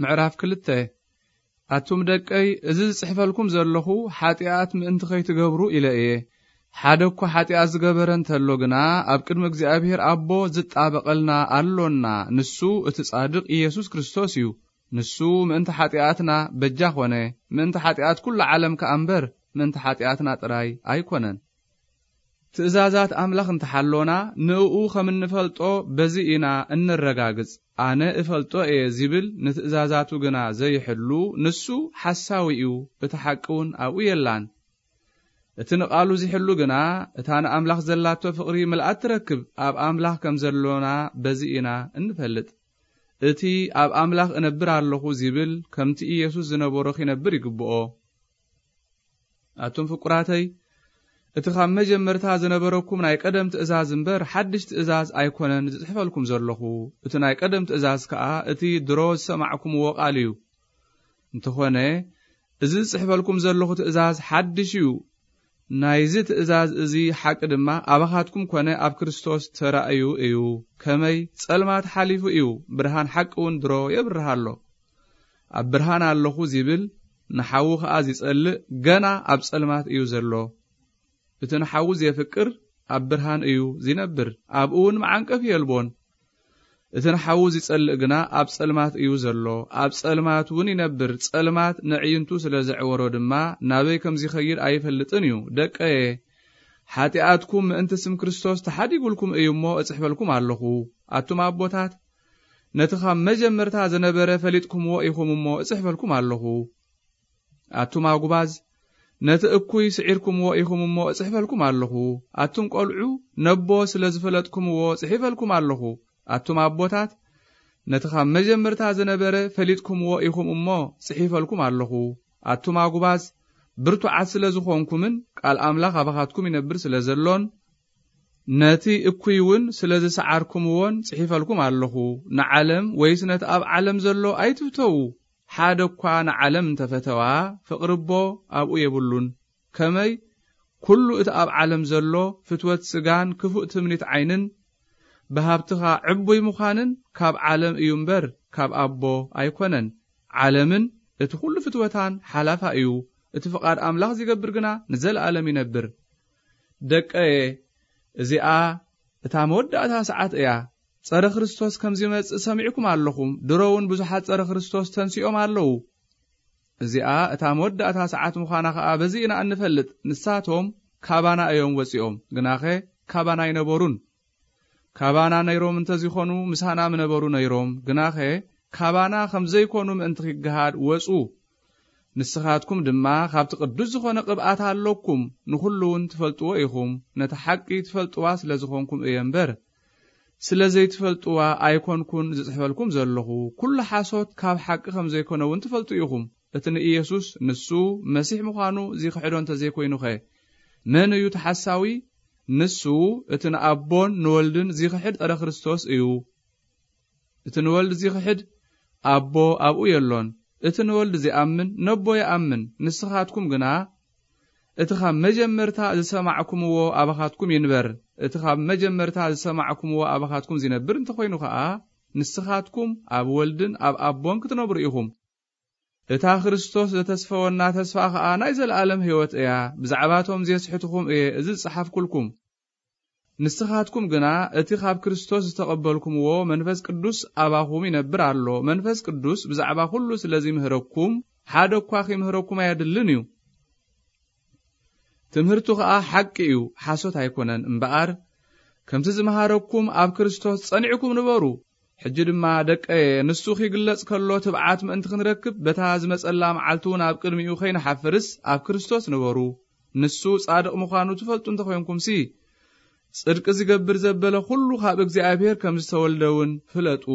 ምዕራፍ ክልተ። ኣቱም ደቀይ፣ እዚ ዝጽሕፈልኩም ዘለኹ ሓጢኣት ምእንቲ ከይትገብሩ ኢለ እየ። ሓደ እኳ ሓጢኣት ዝገበረ እንተሎ ግና፣ ኣብ ቅድሚ እግዚኣብሔር ኣቦ ዝጣበቐልና ኣሎና። ንሱ እቲ ጻድቕ ኢየሱስ ክርስቶስ እዩ። ንሱ ምእንቲ ሓጢኣትና በጃ ኾነ፣ ምእንቲ ሓጢኣት ኩሉ ዓለም ከኣ እምበር፣ ምእንቲ ሓጢኣትና ጥራይ ኣይኮነን። ትእዛዛት ኣምላኽ እንተሓሎና፣ ንእኡ ከም እንፈልጦ በዚ ኢና እንረጋግጽ። ኣነ እፈልጦ እየ ዚብል ንትእዛዛቱ ግና ዘይሕሉ፣ ንሱ ሓሳዊ እዩ፣ እቲ ሓቂ እውን ኣብኡ የላን። እቲ ንቓሉ ዚሕሉ ግና፣ እታ ንኣምላኽ ዘላቶ ፍቕሪ ምልኣት ትረክብ፣ ኣብ ኣምላኽ ከም ዘሎና በዚ ኢና እንፈልጥ። እቲ ኣብ ኣምላኽ እነብር ኣለኹ ዚብል፣ ከምቲ ኢየሱስ ዝነበሮ ኺነብር ይግብኦ። ኣቱም ፍቁራተይ፣ እቲ ካብ መጀመርታ ዝነበረኩም ናይ ቀደም ትእዛዝ እምበር፣ ሓድሽ ትእዛዝ ኣይኮነን ዝጽሕፈልኩም ዘለኹ። እቲ ናይ ቀደም ትእዛዝ ከኣ፣ እቲ ድሮ ዝሰማዕኩምዎ ቃል እዩ። እንተኾነ፣ እዚ ዝጽሕፈልኩም ዘለኹ ትእዛዝ ሓድሽ እዩ። ናይዚ ትእዛዝ እዚ ሓቂ ድማ፣ ኣባኻትኩም ኮነ ኣብ ክርስቶስ ተራእዩ እዩ። ከመይ ጸልማት ሓሊፉ እዩ፣ ብርሃን ሓቂ እውን ድሮ የብርህ ኣሎ። ኣብ ብርሃን ኣለኹ ዚብል፣ ንሓዉ ኸኣ ዚጸልእ፣ ገና ኣብ ጸልማት እዩ ዘሎ። እቲ ንሓዉ ዜፍቅር፣ ኣብ ብርሃን እዩ ዚነብር፣ ኣብኡ እውን መዓንቀፊ የልቦን። እቲ ንሓዉ ዚጸልእ ግና፣ ኣብ ጸልማት እዩ ዘሎ፣ ኣብ ጸልማት እውን ይነብር። ጸልማት ነዕይንቱ ስለ ዘዕወሮ ድማ፣ ናበይ ከም ዚኸይድ ኣይፈልጥን እዩ። ደቀየ፣ ሓጢኣትኩም ምእንቲ ስም ክርስቶስ ተሓዲጉልኩም እዩ እሞ፣ እጽሕፈልኩም ኣለኹ። ኣቱም ኣቦታት፣ ነቲ ኻብ መጀመርታ ዝነበረ ፈሊጥኩምዎ ኢኹም እሞ፣ እጽሕፈልኩም ኣለኹ። ኣቱም ኣጉባዝ፣ ነቲ እኩይ ስዒርኩምዎ ኢኹም እሞ፣ እጽሕፈልኩም ኣለኹ። ኣቱም ቈልዑ፣ ነቦ ስለ ዝፈለጥኩምዎ፣ ጽሒፈልኩም ኣለኹ። ኣቱም ኣቦታት፣ ነቲ ኻብ መጀመርታ ዝነበረ ፈሊጥኩምዎ ኢኹም እሞ፣ ጽሒፈልኩም ኣለኹ። ኣቱም ኣጉባዝ፣ ብርቱዓት ስለ ዝኾንኩምን፣ ቃል ኣምላኽ ኣባኻትኩም ይነብር ስለ ዘሎን፣ ነቲ እኩይ እውን ስለ ዝሰዓርኩምዎን ጽሒፈልኩም ኣለኹ። ንዓለም ወይስ ነቲ ኣብ ዓለም ዘሎ ኣይትፍተዉ። ሓደ እኳ ንዓለም እንተ ፈተዋ፣ ፍቕሪ ኣቦ ኣብኡ የብሉን። ከመይ? ኩሉ እቲ ኣብ ዓለም ዘሎ ፍትወት ስጋን ክፉእ ትምኒት ዓይንን፣ ብሃብትኻ ዕቡይ ምዃንን ካብ ዓለም እዩ እምበር፣ ካብ ኣቦ ኣይኮነን። ዓለምን እቲ ኩሉ ፍትወታን ሓላፋ እዩ። እቲ ፍቓድ ኣምላኽ ዚገብር ግና ንዘለኣለም ይነብር። ደቀየ፣ እዚኣ እታ መወዳእታ ሰዓት እያ። ጸረ ክርስቶስ ከም ዚመጽእ ሰሚዕኩም ኣለኹም። ድሮ እውን ብዙሓት ጸረ ክርስቶስ ተንሲኦም ኣለዉ። እዚኣ እታ መወዳእታ ሰዓት ምዃና ኸኣ በዚ ኢና እንፈልጥ። ንሳቶም ካባና እዮም ወጺኦም፣ ግናኸ ካባና ኣይነበሩን። ካባና ነይሮም እንተ ዚኾኑ፣ ምሳና ምነበሩ ነይሮም። ግናኸ ካባና ከም ዘይኮኑ ምእንቲ ኺገሃድ ወጹ። ንስኻትኩም ድማ ኻብቲ ቅዱስ ዝኾነ ቅብኣት ኣሎኩም፣ ንኹሉ እውን ትፈልጥዎ ኢኹም። ነቲ ሓቂ ትፈልጥዋ ስለ ዝኾንኩም እየ እምበር፣ ስለ ዘይትፈልጥዋ ኣይኮንኩን ዝጽሕፈልኩም ዘለኹ። ኩሉ ሓሶት ካብ ሓቂ ከም ዘይኮነ እውን ትፈልጡ ኢኹም። እቲ ንኢየሱስ ንሱ መሲሕ ምዃኑ ዚኽሕዶ እንተ ዘይኮይኑኸ፣ መን እዩ እቲ ሓሳዊ? ንሱ እቲ ንኣቦን ንወልድን ዚኽሕድ ጸረ ክርስቶስ እዩ። እቲ ንወልድ ዚኽሕድ ኣቦ ኣብኡ የሎን። እቲ ንወልድ ዚኣምን ነቦ ይኣምን። ንስኻትኩም ግና እቲ ኻብ መጀመርታ ዝሰማዕኩምዎ ኣባኻትኩም ይንበር። እቲ ኻብ መጀመርታ ዝሰማዕኩምዎ ኣባኻትኩም ዚነብር እንተኾይኑ ኸኣ፣ ንስኻትኩም ኣብ ወልድን ኣብ ኣቦን ክትነብሩ ኢኹም። እታ ክርስቶስ ዘተስፈወና ተስፋ ኸኣ ናይ ዘለኣለም ህይወት እያ። ብዛዕባቶም ዜስሕትኹም እየ እዚ ዝጸሓፍኩልኩም። ንስኻትኩም ግና እቲ ኻብ ክርስቶስ ዝተቐበልኩምዎ መንፈስ ቅዱስ ኣባኹም ይነብር ኣሎ። መንፈስ ቅዱስ ብዛዕባ ኩሉ ስለ ዚምህረኩም፣ ሓደ እኳ ኺምህረኩም ኣየድልን እዩ። ትምህርቱ ኸኣ ሓቂ እዩ፣ ሓሶት ኣይኮነን። እምበኣር፣ ከምቲ ዝመሃረኩም ኣብ ክርስቶስ ጸኒዕኩም ንበሩ። ሕጂ ድማ ደቀየ፣ ንሱ ኺግለጽ ከሎ ትብዓት ምእንቲ ክንረክብ፣ በታ ዝመጸላ መዓልቲ እውን ኣብ ቅድሚኡ ኸይንሓፍርስ ኣብ ክርስቶስ ንበሩ። ንሱ ጻድቕ ምዃኑ ትፈልጡ እንተ ኾይንኩምሲ፣ ጽድቂ ዝገብር ዘበለ ኹሉ ካብ እግዚኣብሔር ከም ዝተወልደ እውን ፍለጡ።